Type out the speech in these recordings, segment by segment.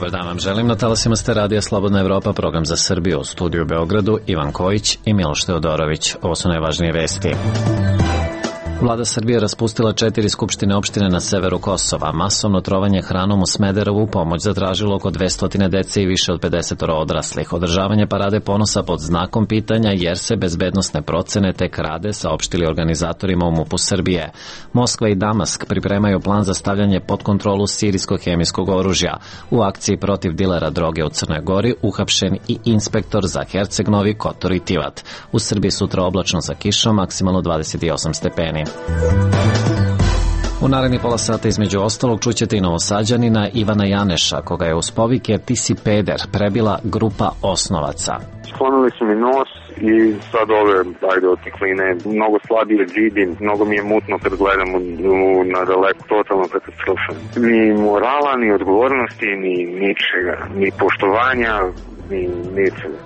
Dobar dan vam želim. Na talasima ste Radija Slobodna Evropa, program za Srbiju. U studiju u Beogradu Ivan Kojić i Miloš Teodorović. Ovo su najvažnije vesti. Vlada Srbije raspustila 4 skupštine opštine na severu Kosova. Masovno trovanje hranom u Smederevu pomoć zatražilo oko 200 dece i više od 50 odraslih. Održavanje parade ponosa pod znakom pitanja jer se bezbednosne procene tek rade, saopštili organizatorima u MUP-u Srbije. Moskva i Damask pripremaju plan za stavljanje pod kontrolu sirijsko-hemijskog oružja. U akciji protiv dilera droge u Crnoj Gori uhapšen i inspektor za Herceg Novi, Kotor i Tivat. U Srbiji sutra oblačno sa kišom, maksimalno 28 stepeni. U naredni pola sata između ostalog čućete i Novosađanina Ivana Janeša, koga je uz povike "Ti si peder" prebila grupa osnovaca. Sklonili su mi nos i sad ove, otikline, mnogo slabije vidim, mnogo mi je mutno kad gledam na daleko, totalno katastrofa. Ni morala, ni odgovornosti, ni ničega, ni poštovanja, ni ničega.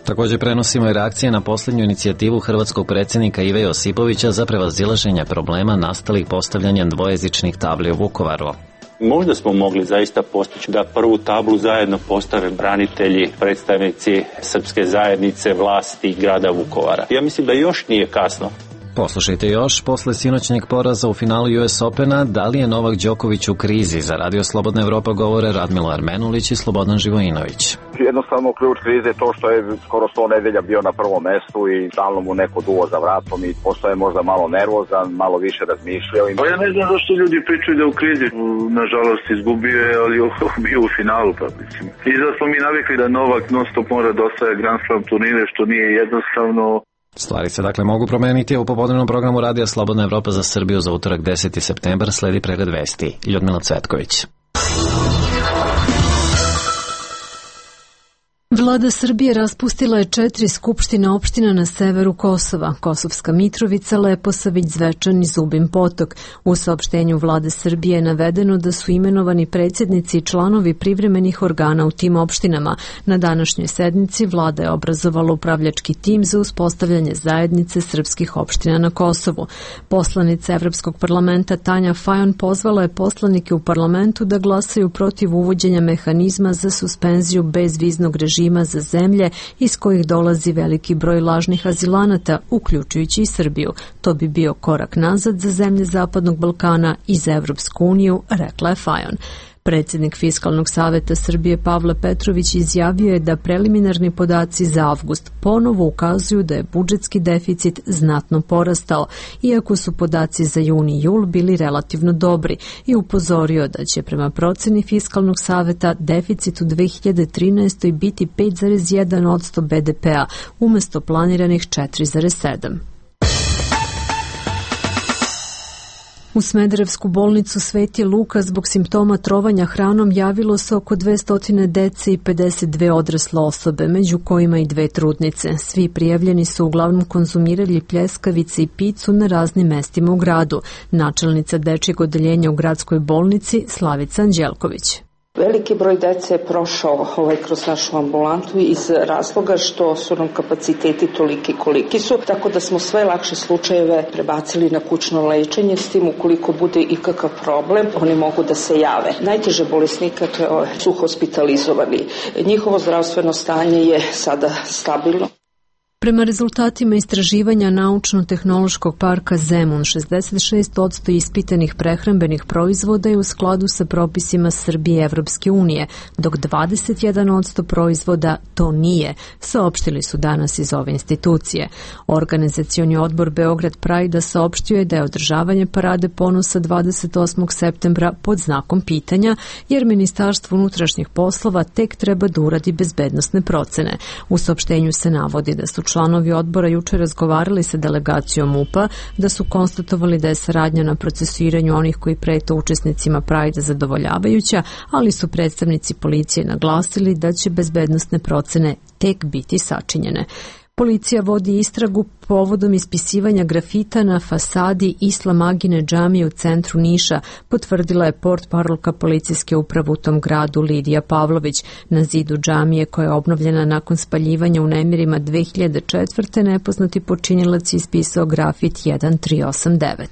Također prenosimo i reakcije na posljednju inicijativu hrvatskog predsjednika Ive Josipovića za prevazilaženje problema nastalih postavljanjem dvojezičnih tabli u Vukovaru. Možda smo mogli zaista postići da prvu tablu zajedno postave branitelji, predstavnici srpske zajednice, vlasti grada Vukovara. Ja mislim da još nije kasno. Poslušajte još, posle sinoćnjeg poraza u finalu US Opena, da li je Novak Đoković u krizi? Za Radio Slobodna Evropa govore Radmilo Armenulić i Slobodan Živojinović. Jednostavno ključ krize je to što je skoro 100 nedelja bio na prvom mestu i stalno mu neko duo za vratom i postoje možda malo nervozan, malo više razmišljao. Ja ne znam zašto ljudi pričaju da u krizi. Nažalost izgubio je, ali bio u finalu. Pa mislim. I da smo mi navikli da Novak non stop mora da osvaja Grand Slam turnire, što nije jednostavno. Stvari se dakle mogu promeniti. U popodnevnom programu Radija Slobodna Evropa za Srbiju za utorak 10. septembar sledi pregled vesti. Ljudmila Cvetković. Vlada Srbije raspustila je 4 skupštine opština na severu Kosova: Kosovska Mitrovica, Leposavić, Zvečan i Zubin Potok. U saopštenju Vlade Srbije je navedeno da su imenovani predsjednici i članovi privremenih organa u tim opštinama. Na današnjoj sednici Vlada je obrazovala upravljački tim za uspostavljanje zajednice srpskih opština na Kosovu. Poslanica Evropskog parlamenta Tanja Fajon pozvala je poslanike u parlamentu da glasaju protiv uvođenja mehanizma za suspenziju bezviznog režima za zemlje iz kojih dolazi veliki broj lažnih azilanata, uključujući i Srbiju. To bi bio korak nazad za zemlje Zapadnog Balkana i za Evropsku uniju, rekla je Fajon. Predsjednik Fiskalnog saveta Srbije Pavle Petrović izjavio je da preliminarni podaci za avgust ponovo ukazuju da je budžetski deficit znatno porastao, iako su podaci za juni i jul bili relativno dobri, i upozorio da će prema proceni Fiskalnog saveta deficit u 2013. biti 5,1% BDP-a umjesto planiranih 4,7%. U Smederevsku bolnicu Sveti Luka zbog simptoma trovanja hranom javilo se oko 200 dece i 52 odrasle osobe, među kojima i 2 trudnice. Svi prijavljeni su uglavnom konzumirali pljeskavice i picu na raznim mestima u gradu. Načelnica dečjeg odeljenja u gradskoj bolnici Slavica Anđelković. Veliki broj dece je prošao kroz našu ambulantu iz razloga što su nam kapaciteti toliki koliki su, tako da smo sve lakše slučajeve prebacili na kućno lečenje, s tim ukoliko bude ikakav problem, oni mogu da se jave. Najteže bolesnika su hospitalizovani. Njihovo zdravstveno stanje je sada stabilno. Prema rezultatima istraživanja Naučno-tehnološkog parka Zemun, 66% ispitanih prehrambenih proizvoda je u skladu sa propisima Srbije i Evropske unije, dok 21% proizvoda to nije, saopštili su danas iz ove institucije. Organizacioni odbor Beograd Pride saopštio je da je održavanje parade ponosa 28. septembra pod znakom pitanja, jer Ministarstvo unutrašnjih poslova tek treba da uradi bezbednosne procene. U saopštenju se navodi da su članovi odbora juče razgovarali sa delegacijom MUP-a, da su konstatovali da je saradnja na procesuiranju onih koji prete učesnicima Prajda zadovoljavajuća, ali su predstavnici policije naglasili da će bezbednosne procene tek biti sačinjene. Policija vodi istragu povodom ispisivanja grafita na fasadi Islam Agine džamije u centru Niša, potvrdila je portparolka policijske uprave u tom gradu Lidija Pavlović. Na zidu džamije, koja je obnovljena nakon spaljivanja u nemirima 2004. nepoznati počinilac ispisao grafit 1389.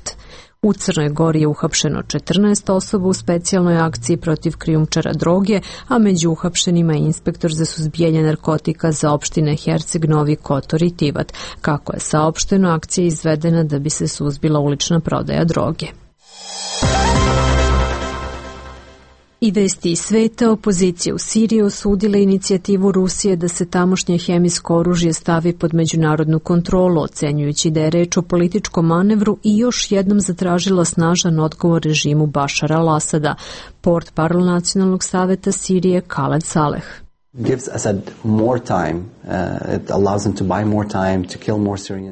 U Crnoj Gori je uhapšeno 14 osoba u specijalnoj akciji protiv krijumčara droge, a među uhapšenima je inspektor za suzbijanje narkotika za opštine Herceg, Novi Kotor i Tivat. Kako je saopšteno, akcija je izvedena da bi se suzbila ulična prodaja droge. I vesti iz sveta, opozicija u Siriji osudila inicijativu Rusije da se tamošnje hemijsko oružje stavi pod međunarodnu kontrolu, ocenjujući da je reč o političkom manevru i još jednom zatražila snažan odgovor režimu Bašara al-Asada. Portparol Nacionalnog saveta Sirije Khaled Saleh.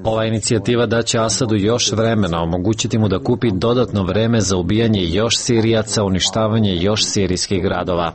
Ova inicijativa daće Asadu još vremena, omogućiti mu da kupi dodatno vreme za ubijanje još Sirijaca, uništavanje još sirijskih gradova.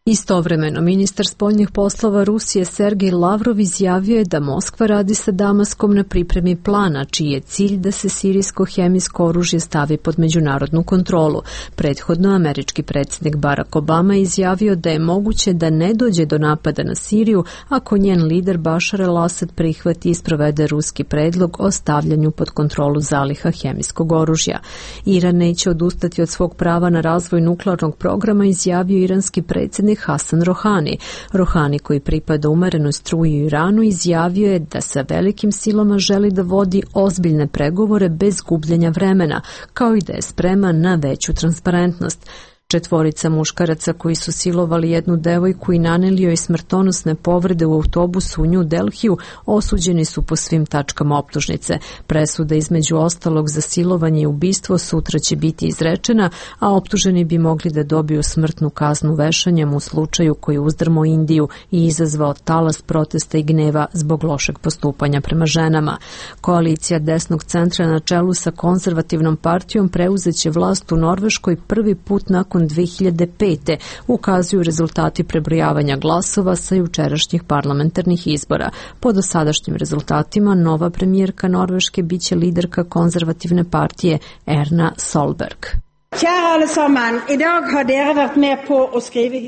Istovremeno, ministar spoljnih poslova Rusije Sergej Lavrov izjavio je da Moskva radi sa Damaskom na pripremi plana, čiji je cilj da se sirijsko hemijsko oružje stavi pod međunarodnu kontrolu. Prethodno, američki predsjednik Barack Obama izjavio da je moguće da ne dođe do napada na Siriju ako njen lider Bašar al-Asad prihvati i sprovede ruski predlog o stavljanju pod kontrolu zaliha hemijskog oružja. Iran neće odustati od svog prava na razvoj nuklearnog programa, izjavio iranski predsjednik Hasan Rohani. Rohani, koji pripada umerenoj struji u Iranu, izjavio je da sa velikim silama želi da vodi ozbiljne pregovore bez gubljenja vremena, kao i da je spreman na veću transparentnost. 4 muškaraca koji su silovali jednu devojku i naneli joj smrtonosne povrede u autobusu u New Delhiju osuđeni su po svim tačkama optužnice. Presuda između ostalog za silovanje i ubistvo sutra će biti izrečena, a optuženi bi mogli da dobiju smrtnu kaznu vešanjem u slučaju koji uzdrmao Indiju i izazvao talas protesta i gneva zbog lošeg postupanja prema ženama. Koalicija desnog centra na čelu sa konzervativnom partijom preuzeće vlast u Norveškoj prvi put nakon 2005. ukazuju rezultati prebrojavanja glasova sa jučerašnjih parlamentarnih izbora. Po dosadašnjim rezultatima nova premijerka Norveške biće liderka konzervativne partije Erna Solberg.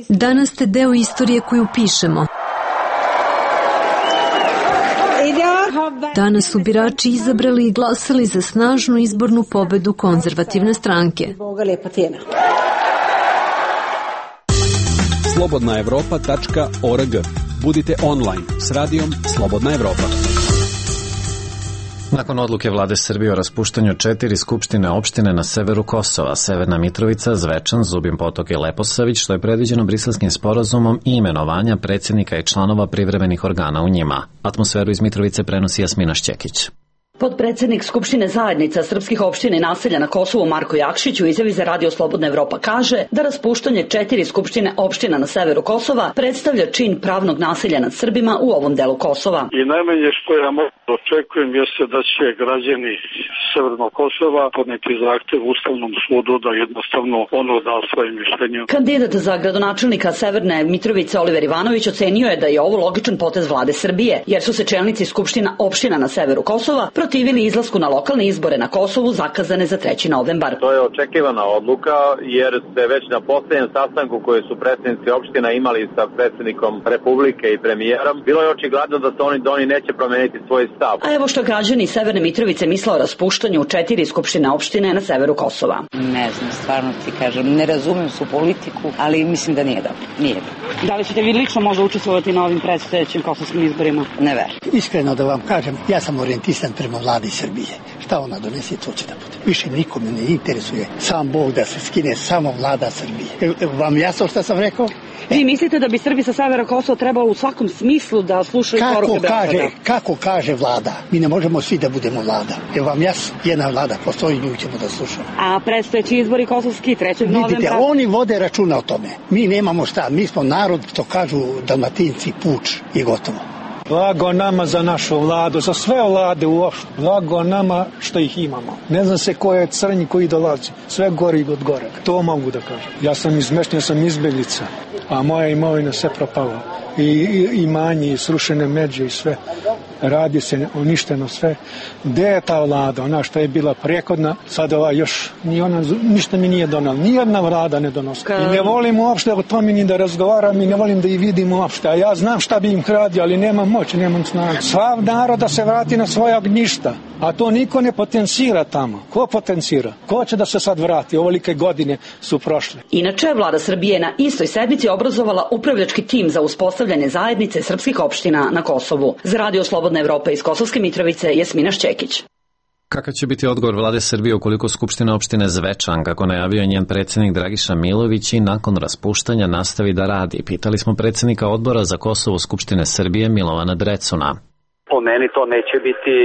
Danas ste deo istorije koju pišemo. Danas su birači izabrali i glasali za snažnu izbornu pobedu konzervativne stranke. slobodnaevropa.org. Budite online s radijom Slobodna Evropa. Nakon odluke vlade Srbije o raspuštanju 4 skupštine opštine na severu Kosova, Severna Mitrovica, Zvečan, Zubin Potok i Leposavić, što je predviđeno Briselskim sporazumom i imenovanja predsjednika i članova privremenih organa u njima. Atmosferu iz Mitrovice prenosi Jasmina Šćekić. Potpredsednik Skupštine zajednica srpskih opština i naselja na Kosovu Marko Jakšić u izjavi za Radio Slobodna Evropa kaže da raspuštanje 4 skupštine opština na severu Kosova predstavlja čin pravnog nasilja nad Srbima u ovom delu Kosova. I najmanje što ja očekujem jeste da će građani severnog Kosova podneti zahtev Ustavnom sudu da jednostavno ono da svoje mišljenje. Kandidat za gradonačelnika Severne Mitrovice Oliver Ivanović ocenio je da je ovo logičan potez vlade Srbije, jer su se čelnici skupština opština na severu Kosova protivili izlasku na lokalne izbore na Kosovu zakazane za 3. novembar. To je očekivana odluka jer se već na posljednjem sastanku koje su predsjednici opština imali sa predsjednikom Republike i premijerom, bilo je očigledno da oni neće promeniti svoj stav. A evo što građani Severne Mitrovice misle o raspuštanju 4 skupštine opštine na severu Kosova. Ne znam, stvarno ti kažem, ne razumem su politiku, ali mislim da nije dobro. Nije dobro. Da li ćete vi lično možda učestvovati na ovim predstojećim kosovskim izborima? Ne verujem. Iskreno da vam kažem, ja sam orijentisan prema vladi Srbije. Šta ona donese, to će da bude. Više nikome ne interesuje sam Bog da se skine, samo vlada Srbije. Vam jasno šta sam rekao? Vi mislite da bi Srbi sa severa Kosova trebalo u svakom smislu da slušaju poruke Beograda? Kako kaže vlada? Mi ne možemo svi da budemo vlada. Je vam jasno? Jedna vlada postoji, nju ćemo da slušamo. A predstojeći izbori kosovski 3. novembra? Vidite, oni vode računa o tome. Mi nemamo šta. Mi smo narod, što kažu Dalmatinci, puč i gotovo. Blago nama za našu vladu, za sve vlade uopšte. Blago nama što ih imamo. Ne znam se ko je crnji koji dolazi. Sve gori od gore. To mogu da kažem. Ja sam izmešten, ja sam izbjeglica, a moja imovina sve propala. I imanje, i srušene međe i sve. radi se uništeno sve. Gde je ta vlada, ona što je bila prekodna, sad ova još, ni ona, ništa mi nije donala, nijedna vlada ne donosi. I ne volim uopšte o tome ni da razgovaram i ne volim da ih vidim uopšte, a ja znam šta bi im radio, ali nemam moć, nemam snagu. Sav narod da se vrati na svoja ognjišta, a to niko ne potencira tamo. Ko potencira? Ko će da se sad vrati? Ovolike godine su prošle. Inače, vlada Srbije na istoj sednici obrazovala upravljački tim za uspostavljanje zajednice srpskih opština na Kosovu. Za Radio Slobodna Evropa iz Kosovske Mitrovice, Jasmina Šćekić. Kakav će biti odgovor vlade Srbije ukoliko Skupština opštine Zvečan, kako najavio njen predsjednik Dragiša Milović, i nakon raspuštanja nastavi da radi? Pitali smo predsjednika odbora za Kosovo Skupštine Srbije Milovana Drecuna. Po meni to neće biti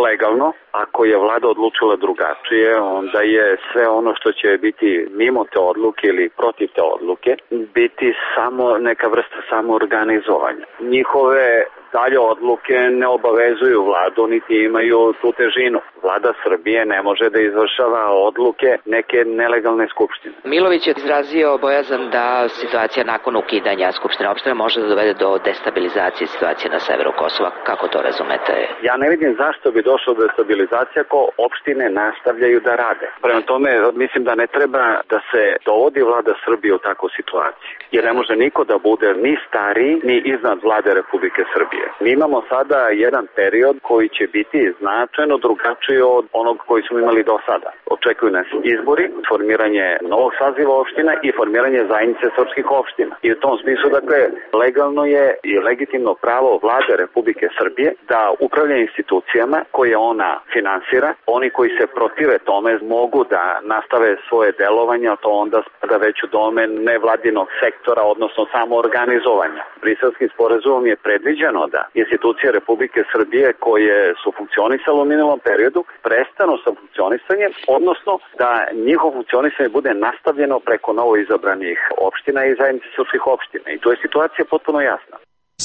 legalno. Ako je vlada odlučila drugačije, onda je sve ono što će biti mimo te odluke ili protiv te odluke biti samo neka vrsta samoorganizovanja. Njihove dalje odluke ne obavezuju vladu niti imaju tu težinu. Vlada Srbije ne može da izvršava odluke neke nelegalne skupštine. Milović je izrazio bojazan da situacija nakon ukidanja skupštine opštine može da dovede do destabilizacije situacije na severu Kosova. Kako to razumete? Ja ne vidim zašto bi došlo do destabilizacije ako opštine nastavljaju da rade. Prema tome, mislim da ne treba da se dovodi vlada Srbije u takvu situaciju. Jer ne može niko da bude ni stariji, ni iznad vlade Republike Srbije. Mi imamo sada jedan period koji će biti značajno drugačiji od onog koji smo imali do sada. Očekuju nas izbori, formiranje novog saziva opština i formiranje zajednice srpskih opština. I u tom smislu, dakle, legalno je i legitimno pravo vlade Republike Srbije da upravlja institucijama koje ona finansira. Oni koji se protive tome mogu da nastave svoje delovanje, a to onda spada već u domen nevladinog sektora, odnosno samoorganizovanja. Briselskim sporazumom je predviđeno da institucije Republike Srbije koje su funkcionisale u minulom periodu prestanu sa funkcionisanjem, odnosno da njihovo funkcionisanje bude nastavljeno preko novo izabranih opština i zajednice srpskih opština. I tu je situacija potpuno jasna.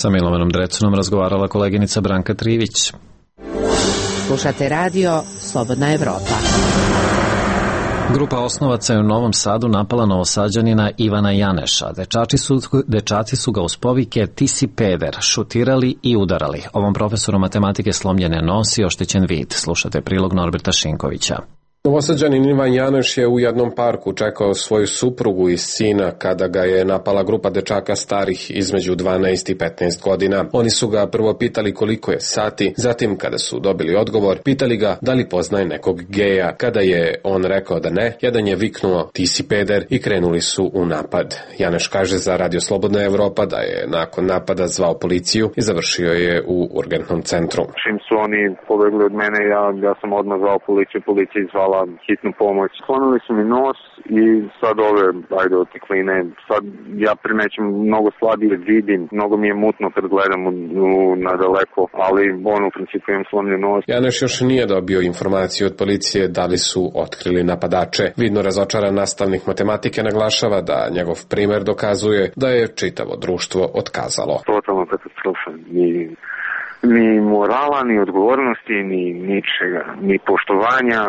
Sa Milovanom Drecunom razgovarala koleginica Branka Trivić. Slušate radio Slobodna Evropa. Grupa osnovaca je u Novom Sadu napala Novosađanina Ivana Janeša. Dečaci su ga uz povike "ti si peder" šutirali i udarali. Ovom profesoru matematike slomljen je nos i oštećen vid. Slušate prilog Norberta Šinkovića. Novosađanin Ivan Janeš je u jednom parku čekao svoju suprugu i sina kada ga je napala grupa dečaka starih između 12 i 15 godina. Oni su ga prvo pitali koliko je sati, zatim kada su dobili odgovor, pitali ga da li poznaje nekog geja. Kada je on rekao da ne, jedan je viknuo "ti si peder" i krenuli su u napad. Janeš kaže za Radio Slobodna Evropa da je nakon napada zvao policiju i završio je u urgentnom centru. Čim su oni pobegli od mene, ja sam odmah zvao policiju, policija izvala hitnu pomoć. Slomili su mi nos i sad ove, otekline, sad ja primećam mnogo slabije vidim, mnogo mi je mutno kad gledam na daleko, ali u principu imam slomljen nos. Janeš još nije dobio informaciju od policije da li su otkrili napadače. Vidno razočaran nastavnik matematike naglašava da njegov primer dokazuje da je čitavo društvo otkazalo. Totalno katastrofa. Ni morala, ni odgovornosti, ni ničega, ni poštovanja,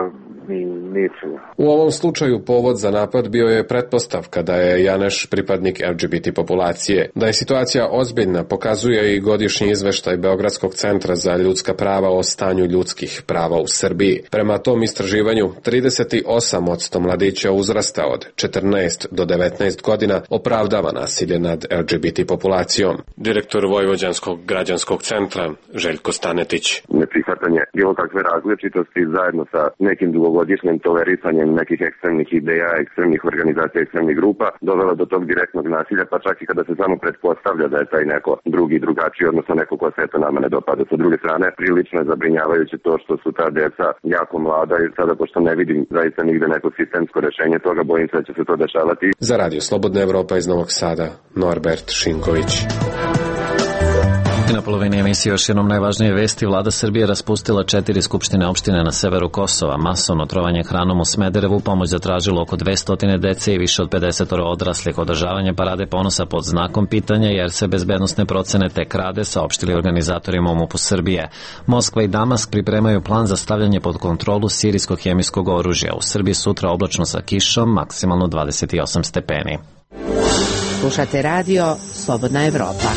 ni ničega. U ovom slučaju povod za napad bio je pretpostavka da je Janeš pripadnik LGBT populacije. Da je situacija ozbiljna pokazuje i godišnji izveštaj Beogradskog centra za ljudska prava o stanju ljudskih prava u Srbiji. Prema tom istraživanju, 38% mladića uzrasta od 14 do 19 godina opravdava nasilje nad LGBT populacijom. Direktor Vojvođanskog građanskog centra Željko Stanetić. Neprihvatanje bilo kakve različitosti zajedno sa nekim dugogodišnjim tolerisanjem nekih ekstremnih ideja, ekstremnih organizacija, ekstremnih grupa dovelo do tog direktnog nasilja, pa čak i kada se samo pretpostavlja da je taj neko drugi, drugačiji, odnosno neko ko se eto nama ne dopada. Sa druge strane, prilično je zabrinjavajuće to što su ta deca jako mlada i sada pošto ne vidim zaista nigde neko sistemsko rešenje toga, bojim se da će se to dešavati. Za Radio Slobodna Evropa iz Novog Sada, Norbert Šinković. I na polovini emisije još jednom najvažnije vesti. Vlada Srbije raspustila 4 skupštine opštine na severu Kosova. Masovno trovanje hranom u Smederevu, pomoć zatražilo oko 200 dece i više od 50 odraslih. Održavanje parade ponosa pod znakom pitanja jer se bezbednosne procene tek rade, saopštili organizatorima u MUP-u Srbije. Moskva i Damask pripremaju plan za stavljanje pod kontrolu sirijskog hemijskog oružja. U Srbiji sutra oblačno sa kišom, maksimalno 28 stepeni. Slušate radio Slobodna Evropa.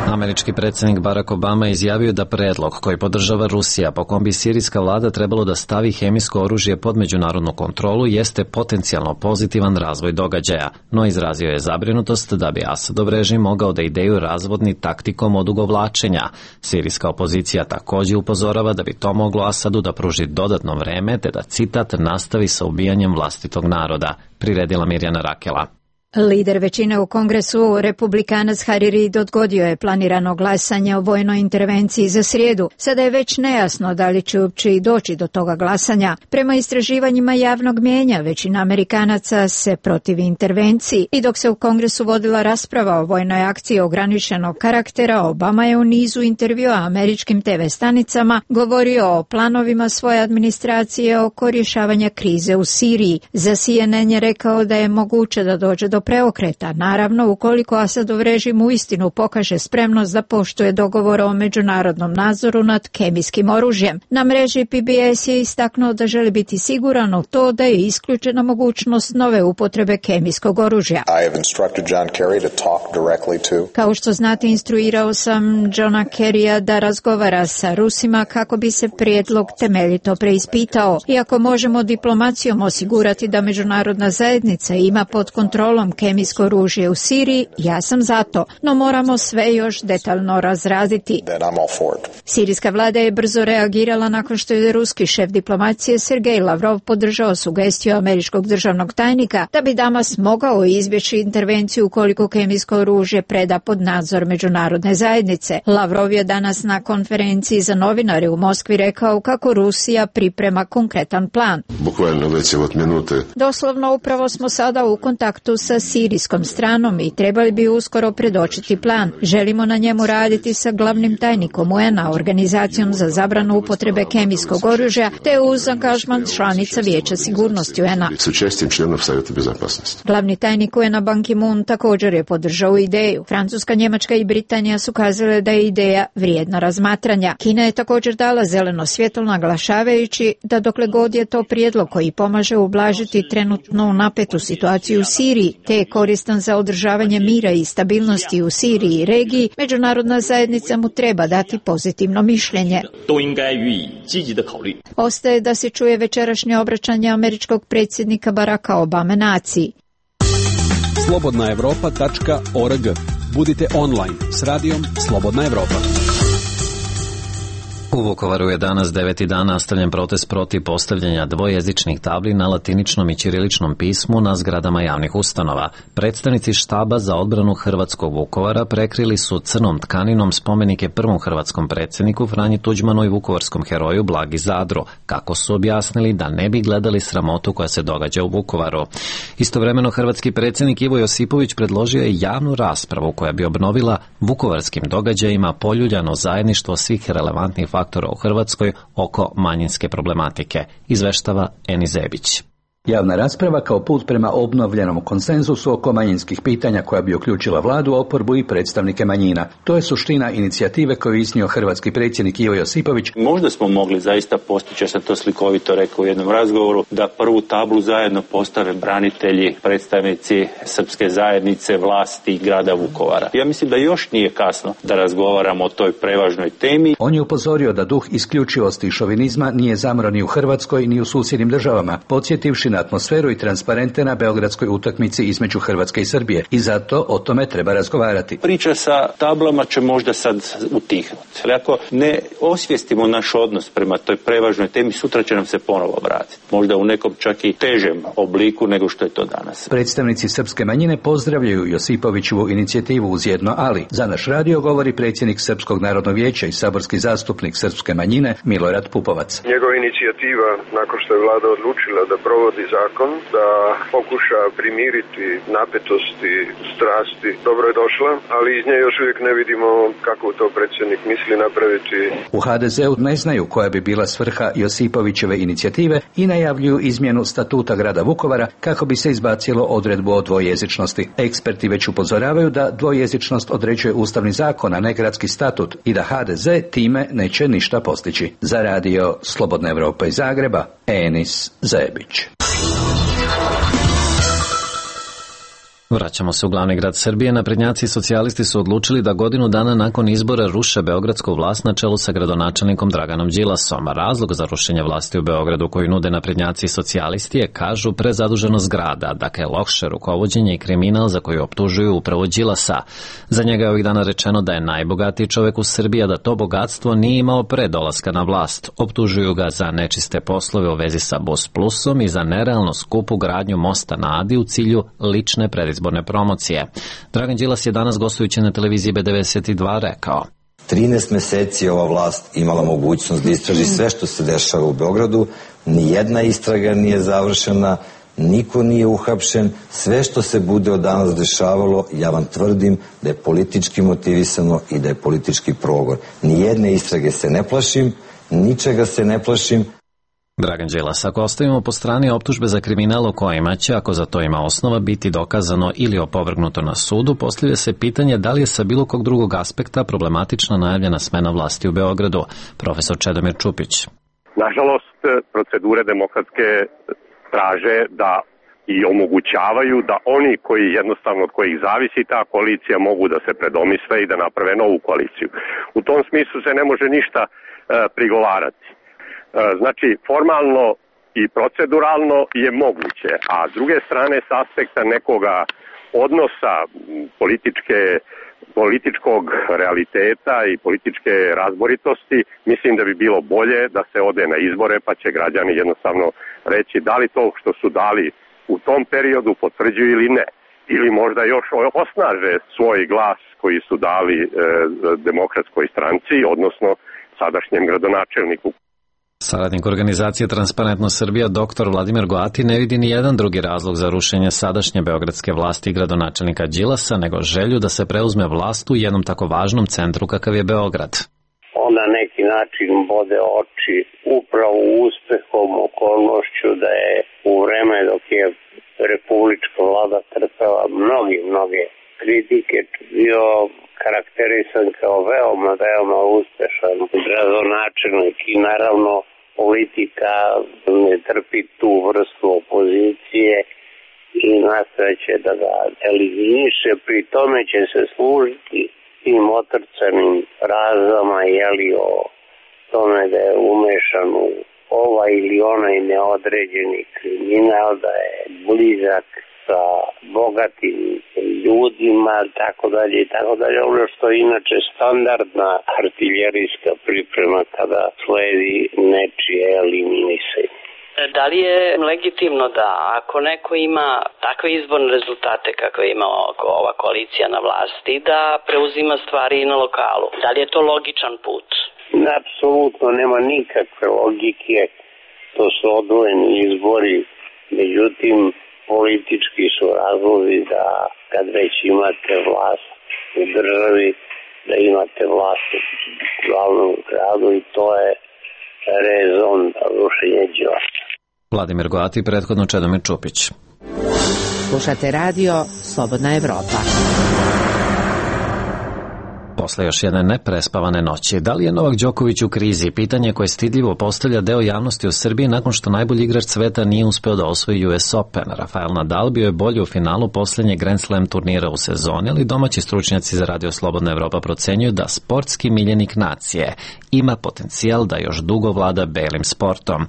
Američki predsjednik Barack Obama izjavio da predlog koji podržava Rusija, po kom bi sirijska vlada trebalo da stavi hemijsko oružje pod međunarodnu kontrolu, jeste potencijalno pozitivan razvoj događaja, no izrazio je zabrinutost da bi Asadov režim mogao da ideju razvodni taktikom odugovlačenja. Sirijska opozicija također upozorava da bi to moglo Asadu da pruži dodatno vreme te da, citat, nastavi sa ubijanjem vlastitog naroda, priredila Mirjana Rakela. Lider većine u Kongresu, republikanac Harry Reid, odgodio je planirano glasanje o vojnoj intervenciji za srijedu. Sada je već nejasno da li će uopće i doći do toga glasanja. Prema istraživanjima javnog mijenja, većina Amerikanaca se protivi intervenciji i dok se u Kongresu vodila rasprava o vojnoj akciji ograničenog karaktera, Obama je u nizu intervjua američkim TV stanicama govorio o planovima svoje administracije oko rješavanja krize u Siriji. Za CNN je rekao da je moguće da dođe do preokreta, naravno ukoliko Asadov režim uistinu pokaže spremnost da poštuje dogovor o međunarodnom nadzoru nad kemijskim oružjem. Na mreži PBS je istaknuo da želi biti siguran u to da je isključena mogućnost nove upotrebe kemijskog oružja. Kao što znate, instruirao sam Johna Kerrya da razgovara sa Rusima kako bi se prijedlog temeljito preispitao. Iako možemo diplomacijom osigurati da međunarodna zajednica ima pod kontrolom kemijsko oružje u Siriji, ja sam za to, no moramo sve još detaljno razraditi. Sirijska vlada je brzo reagirala nakon što je ruski šef diplomacije Sergej Lavrov podržao sugestiju američkog državnog tajnika da bi Damas mogao izbjeći intervenciju ukoliko kemijsko oružje preda pod nadzor međunarodne zajednice. Lavrov je danas na konferenciji za novinare u Moskvi rekao kako Rusija priprema konkretan plan. Doslovno upravo smo sada u kontaktu sa sirijskom stranom i trebali bi uskoro predočiti plan. Želimo na njemu raditi sa glavnim tajnikom UN-a, Organizacijom za zabranu upotrebe kemijskog oružja, te uz angažman članica Vijeća sigurnosti UN-a. Glavni tajnik UN-a Ban Ki-moon također je podržao ideju. Francuska, Njemačka i Britanija su kazale da je ideja vrijedna razmatranja. Kina je također dala zeleno svjetlo naglašavajući da dokle god je to prijedlog koji pomaže ublažiti trenutnu napetu situaciju u Siriji, te je koristan za održavanje mira i stabilnosti u Siriji i regiji, međunarodna zajednica mu treba dati pozitivno mišljenje. Ostaje da se čuje večerašnje obraćanje američkog predsjednika Baracka Obame naciji. Slobodnaevropa.org. Budite online s radijom Slobodna Evropa. U Vukovaru je danas 9. dan nastavljen protest protiv postavljanja dvojezičnih tabli na latiničnom i ćiriličnom pismu na zgradama javnih ustanova. Predstavnici štaba za odbranu hrvatskog Vukovara prekrili su crnom tkaninom spomenike prvom hrvatskom predsjedniku Franji Tuđmanu i vukovarskom heroju Blagi Zadru, kako su objasnili da ne bi gledali sramotu koja se događa u Vukovaru. Istovremeno hrvatski predsjednik Ivo Josipović predložio je javnu raspravu koja bi obnovila vukovarskim događajima poljuljano zajedništvo svih relevantnih faktora u Hrvatskoj oko manjinske problematike, izveštava Eni Zebić. Javna rasprava kao put prema obnovljenom konsenzusu oko manjinskih pitanja koja bi uključila vladu, oporbu i predstavnike manjina. To je suština inicijative koju je iznio hrvatski predsjednik Ivo Josipović. Možda smo mogli zaista postići, ja sam to slikovito rekao u jednom razgovoru, da prvu tablu zajedno postave branitelji, predstavnici srpske zajednice, vlasti grada Vukovara. Ja mislim da još nije kasno da razgovaramo o toj prevažnoj temi. On je upozorio da duh isključivosti i šovinizma nije zamro ni u Hrvatskoj ni u susjednim državama, podsjetivši na atmosferu i transparente na beogradskoj utakmici između Hrvatske i Srbije i zato o tome treba razgovarati. Priča sa tablama će možda sad utihnuti. Ali ako ne osvijestimo naš odnos prema toj prevažnoj temi, sutra će nam se ponovo vratiti. Možda u nekom čak i težem obliku nego što je to danas. Predstavnici srpske manjine pozdravljaju Josipovićevu inicijativu uz jedno ali. Za naš radio govori predsjednik Srpskog narodnog vijeća i saborski zastupnik srpske manjine Milorad Pupovac. Njegova inicijativa, nakon što je vlada odlučila da provodi zakon, da pokuša primiriti napetosti, strasti, dobro je došla, ali iz nje još uvijek ne vidimo kako to predsjednik misli napraviti. U HDZ-u ne znaju koja bi bila svrha Josipovićeve inicijative i najavljuju izmjenu statuta grada Vukovara kako bi se izbacilo odredbu o dvojezičnosti. Eksperti već upozoravaju da dvojezičnost određuje ustavni zakon, a ne gradski statut i da HDZ time neće ništa postići. Za radio Slobodna Evropa iz Zagreba, Enis Zebić. Vraćamo se u glavni grad Srbije. Naprednjaci i socijalisti su odlučili da godinu dana nakon izbora ruše beogradsku vlast na čelu sa gradonačelnikom Draganom Đilasom. Razlog za rušenje vlasti u Beogradu koju nude naprednjaci i socijalisti je, kažu, prezaduženost grada, dakle loše rukovođenje i kriminal za koji optužuju upravo Đilasa. Za njega je ovih dana rečeno da je najbogatiji čovek u Srbiji, a da to bogatstvo nije imao pre dolaska na vlast. Optužuju ga za nečiste poslove u vezi sa Bus Plusom i za nerealno skupu gradnju mosta na Adi u cilju lične predizborne promocije. Dragan Đilas je danas gostujući na televiziji B92 rekao: 13 meseci je ova vlast imala mogućnost da istraži sve što se dešava u Beogradu, nijedna istraga nije završena, niko nije uhapšen, sve što se bude od danas dešavalo, ja vam tvrdim da je politički motivisano i da je politički progon. Nijedne istrage se ne plašim, ničega se ne plašim. Dragan Đilas, ako ostavimo po strani optužbe za kriminal o kojima će, ako za to ima osnova, biti dokazano ili opovrgnuto na sudu, postavlja se pitanje da li je sa bilo kog drugog aspekta problematična najavljena smena vlasti u Beogradu. Profesor Čedomir Čupić. Nažalost, procedure demokratske traže da i omogućavaju da oni koji jednostavno od kojih zavisi ta koalicija mogu da se predomisle i da naprave novu koaliciju. U tom smislu se ne može ništa prigovarati. Znači, formalno i proceduralno je moguće, a s druge strane s aspekta nekoga odnosa političkog realiteta i političke razboritosti, mislim da bi bilo bolje da se ode na izbore, pa će građani jednostavno reći da li to što su dali u tom periodu potvrđuju ili ne. Ili možda još osnaže svoj glas koji su dali Demokratskoj stranci, odnosno sadašnjem gradonačelniku. Saradnik organizacije Transparentno Srbija dr. Vladimir Goati ne vidi ni jedan drugi razlog za rušenje sadašnje beogradske vlasti i gradonačelnika Đilasa nego želju da se preuzme vlast u jednom tako važnom centru kakav je Beograd. On na neki način bode oči upravo uspehom, okolnošću da je u vreme dok je republička vlada trpela mnoge kritike bio karakterisan kao veoma uspešan gradonačelnik i naravno politika ne trpi tu vrstu opozicije i nastojeće da ga eliminiše, pri tome će se služiti tim otrcanim razama o tome da je umešan u ovaj ili onaj neodređeni kriminal, da je blizak sa bogatim ljudima, tako dalje, ono što je inače standardna artiljerijska priprema kada sledi nečije eliminisanje. Da li je legitimno da ako neko ima takve izborne rezultate kakve ima ova koalicija na vlasti, da preuzima stvari i na lokalu? Da li je to logičan put? Apsolutno nema nikakve logike, to su odvojeni izbori, međutim politički su razlozi da kad već imate vlast u državi, da imate vlast u glavnom gradu i to je rezon rušenja Đilasa. Vladimir Goati, prethodno Čedomir Čupić. Slušate radio Slobodna Evropa. Posle još jedne neprespavane noći, da li je Novak Đoković u krizi? Pitanje koje stidljivo postavlja deo javnosti u Srbiji nakon što najbolji igrač sveta nije uspeo da osvoji US Open. Rafael Nadal bio je bolji u finalu poslednjeg Grand Slam turnira u sezoni, ali domaći stručnjaci za radio Slobodna Evropa procenjuju da sportski miljenik nacije ima potencijal da još dugo vlada belim sportom.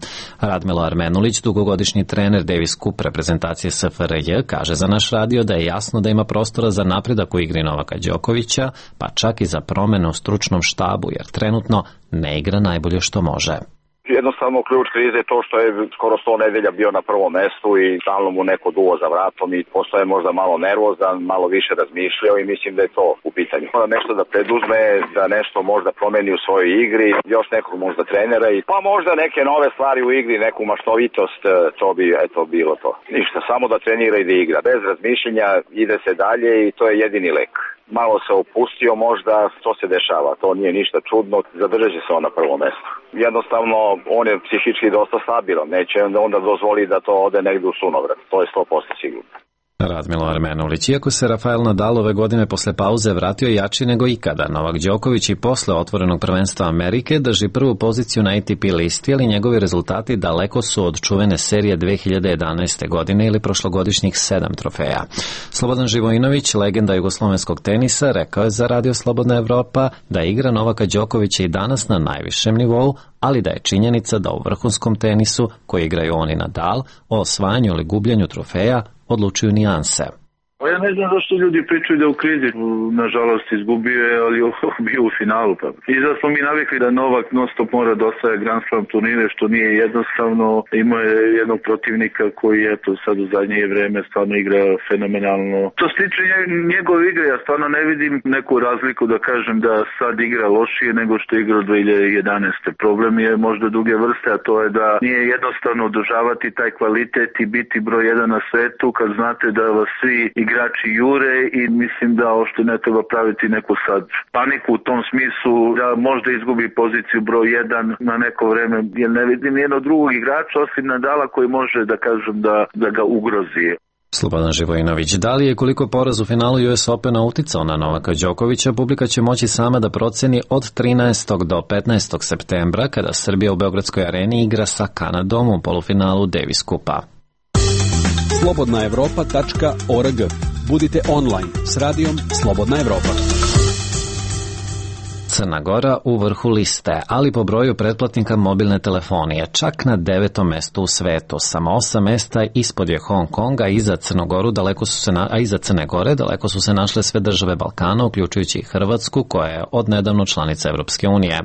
Radmilo Armenulić, dugogodišnji trener Davis Cup reprezentacije SFRJ, kaže za naš radio da je jasno da ima prostora za napredak u igri Novaka Đokovića, pa čak i za promene u stručnom štabu, jer trenutno ne igra najbolje što može. Jednostavno ključ krize je to što je skoro 100 nedelja bio na prvom mestu i stalno mu neko duo za vratom i postaje možda malo nervozan, malo više razmišljao i mislim da je to u pitanju. Mora nešto da preduzme, da nešto možda promeni u svojoj igri, još nekog možda trenera i pa možda neke nove stvari u igri, neku maštovitost, to bi bilo to. Ništa, samo da trenira i da igra. Bez razmišljenja ide se dalje i to je jedini lek. Malo se opustio možda, to se dešava, to nije ništa čudno, zadržat će se on na prvom mestu. Jednostavno, on je psihički dosta stabilan, neće onda dozvoli da to ode negde u sunovrat, to je 100% sigurno. Radmilo Armenulić. Iako se Rafael Nadal ove godine posle pauze vratio jači nego ikada, Novak Đoković i posle otvorenog prvenstva Amerike drži prvu poziciju na ATP listi, ali njegovi rezultati daleko su od čuvene serije 2011. godine ili prošlogodišnjih 7 trofeja. Slobodan Živojinović, legenda jugoslovenskog tenisa, rekao je za Radio Slobodna Evropa da igra Novaka Đokovića i danas na najvišem nivou, ali da je činjenica da u vrhunskom tenisu, koji igraju on i Nadal, o osvajanju ili gubljenju trofeja odlučuju nijanse. Ja ne znam zašto ljudi pričaju da u krizi, nažalost izgubio je, ali bio u finalu. I zato smo mi navikli da Novak non stop mora da osvaja Grand Slam turnire, što nije jednostavno. Imao je jednog protivnika koji eto sad u zadnje vreme stvarno igra fenomenalno. Što se tiče njegove igre, ja stvarno ne vidim neku razliku da kažem da sad igra lošije nego što je igrao 2011. Problem je možda druge vrste, a to je da nije jednostavno održavati taj kvalitet i biti broj 1 na svetu kad znate da vas svi igrači jure i mislim da što ne treba praviti neku sad paniku u tom smislu da možda izgubi poziciju broj 1 na neko vreme, jer ne vidim nijednog drugog igrača osim Nadala koji može da kažem da ga ugrozi. Slobodan Živojinović. Da li je koliko poraz u finalu US Opena uticao na Novaka Đokovića, publika će moći sama da proceni od 13. do 15. septembra kada Srbija u Beogradskoj areni igra sa Kanadom u polufinalu Davis Kupa. slobodnaevropa.org. Budite online s radijom Slobodna Evropa. Crna Gora u vrhu liste, ali po broju pretplatnika mobilne telefonije, čak na 9. mestu u svetu. Samo 8 mesta ispod je Hong Konga, a iza Crne Gore daleko su se našle sve države Balkana, uključujući i Hrvatsku, koja je odnedavno članica Evropske unije.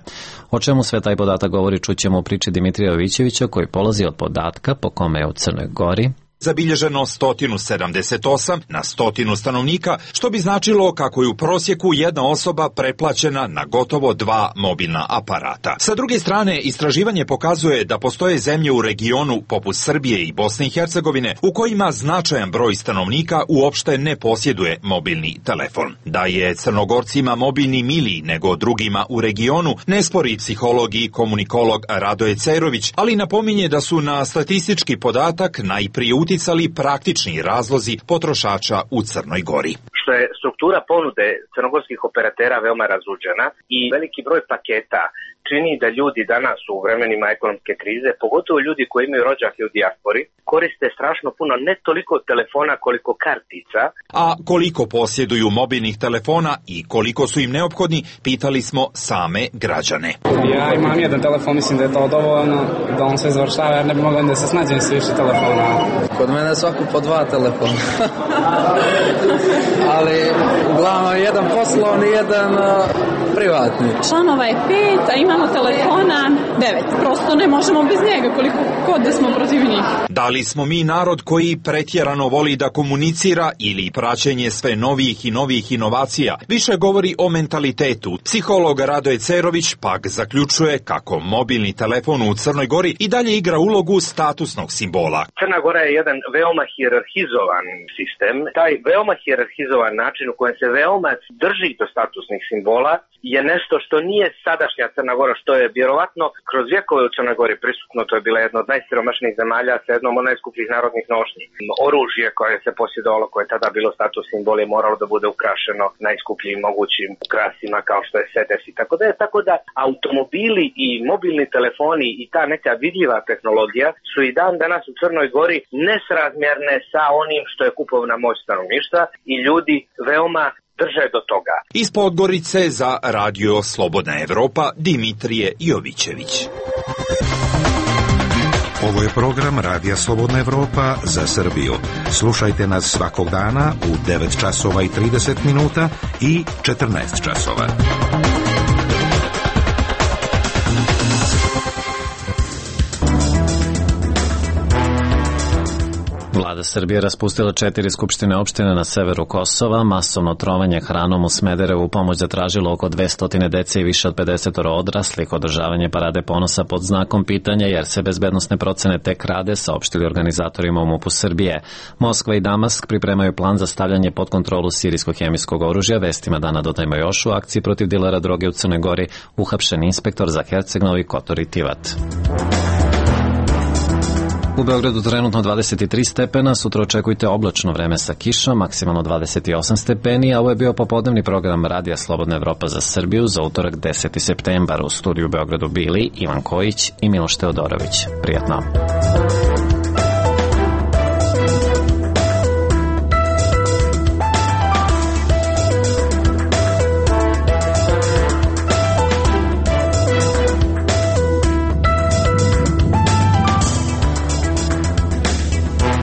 O čemu sve taj podatak govori, čućemo u priči Dimitrija Jovićevića, koji polazi od podatka po kome je u Crnoj Gori zabilježeno 178 na 100 stanovnika, što bi značilo kako je u prosjeku jedna osoba pretplaćena na gotovo 2 mobilna aparata. Sa druge strane, istraživanje pokazuje da postoje zemlje u regionu poput Srbije i Bosne i Hercegovine u kojima značajan broj stanovnika uopšte ne posjeduje mobilni telefon. Da je Crnogorcima mobilni miliji nego drugima u regionu, ne spori psiholog i komunikolog Radoje Cerović, ali napominje da su na statistički podatak najprije uticali praktični razlozi potrošača u Crnoj Gori. Što je struktura ponude crnogorskih operatera veoma razuđena i veliki broj paketa čini da ljudi danas u vremenima ekonomske krize, pogotovo ljudi koji imaju rođake u dijaspori, koriste strašno puno ne toliko telefona koliko kartica. A koliko posjeduju mobilnih telefona i koliko su im neophodni, pitali smo same građane. Ja imam jedan telefon, mislim da je to dovoljno da on sve završava, jer ne bi mogla da se snađem s više telefona. Kod mene svako po 2 telefona. Ali uglavnom jedan poslovni, jedan privatni. Članova je 5, a imamo telefona 9. Prosto ne možemo bez njega koliko god da smo protiv njih. Da li smo mi narod koji pretjerano voli da komunicira ili praćenje sve novih i novih inovacija? Više govori o mentalitetu. Psiholog Radoje Cerović pak zaključuje kako mobilni telefon u Crnoj Gori i dalje igra ulogu statusnog simbola. Crna Gora je jedan veoma hijerarhizovan sistem. Taj veoma hijerarhizovan način u kojem se veoma drži do statusnih simbola je nešto što nije sadašnja Crna Gora, što je vjerovatno kroz vjekove u Crnoj Gori prisutno. To je bila jedna od najsiromašnijih zemalja sa jednom od najskupljih narodnih nošnji. Oružje koje se posjedovalo, koje je tada bilo status simbol, je moralo da bude ukrašeno najskupljim mogućim ukrasima kao što je sedes i tako da je. Tako da automobili i mobilni telefoni i ta neka vidljiva tehnologija su i dan danas u Crnoj Gori nesrazmjerne sa onim što je kupovna moć stanovništva i ljudi veoma drže do toga. Iz Podgorice za Radio Slobodna Evropa Dimitrije Jovićević. Ovo je program Radija Slobodna Evropa za Srbiju. Slušajte nas svakog dana u 9 časova i 30 minuta i 14 časova. Vlada Srbije raspustila 4 skupštine opštine na severu Kosova, masovno trovanje hranom u Smederevu, pomoć zatražilo oko 200 dece i više od 50 odraslih, održavanje parade ponosa pod znakom pitanja jer se bezbednosne procene tek rade, saopštili organizatorima u MUP-u Srbije. Moskva i Damask pripremaju plan za stavljanje pod kontrolu sirijsko-hemijskog oružja. Vestima dana dodajmo još u akciji protiv dilera droge u Crnoj Gori uhapšen inspektor za Herceg Novi Kotor i Tivat. U Beogradu trenutno 23 stepena, sutra očekujte oblačno vreme sa kišom, maksimalno 28 stepeni, a ovo je bio popodnevni program Radija Slobodna Evropa za Srbiju za utorak 10. septembar. U studiju u Beogradu bili Ivan Kojić i Miloš Teodorović. Prijatno.